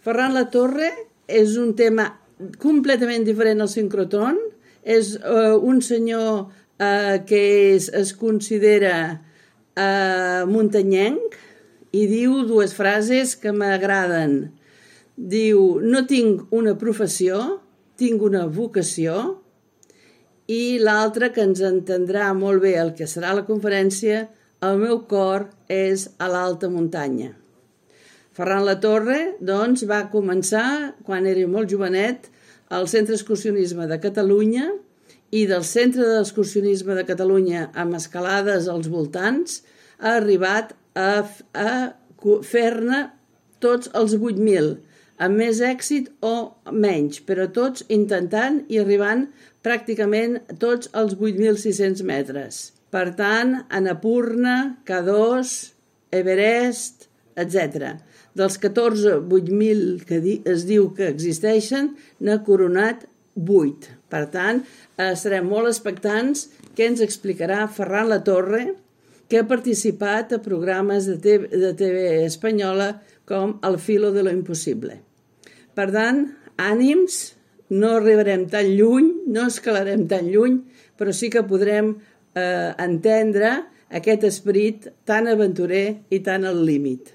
Ferran Latorre és un tema completament diferent al sincrotron. És un senyor que es considera muntanyenc i diu dues frases que m'agraden. Diu, no tinc una professió, tinc una vocació, i l'altra, que ens entendrà molt bé el que serà la conferència, el meu cor és a l'alta muntanya. Ferran Latorre, doncs, va començar, quan era molt jovenet, al Centre d'Excursionisme de Catalunya, i del Centre d'Excursionisme de Catalunya, amb escalades als voltants, ha arribat a fer-ne tots els 8.000, amb més èxit o menys, però tots intentant i arribant pràcticament tots els 8.600 metres. Per tant, Annapurna, K2, Everest, etc. Dels 8.000 que es diu que existeixen, n'ha coronat 8. Per tant, estarem molt expectants què ens explicarà Ferran Latorre, que ha participat a programes de TV espanyola com El filo de lo imposible. Per tant, ànims, no arribarem tan lluny, no escalarem tan lluny, però sí que podrem entendre aquest esperit tan aventurer i tan al límit.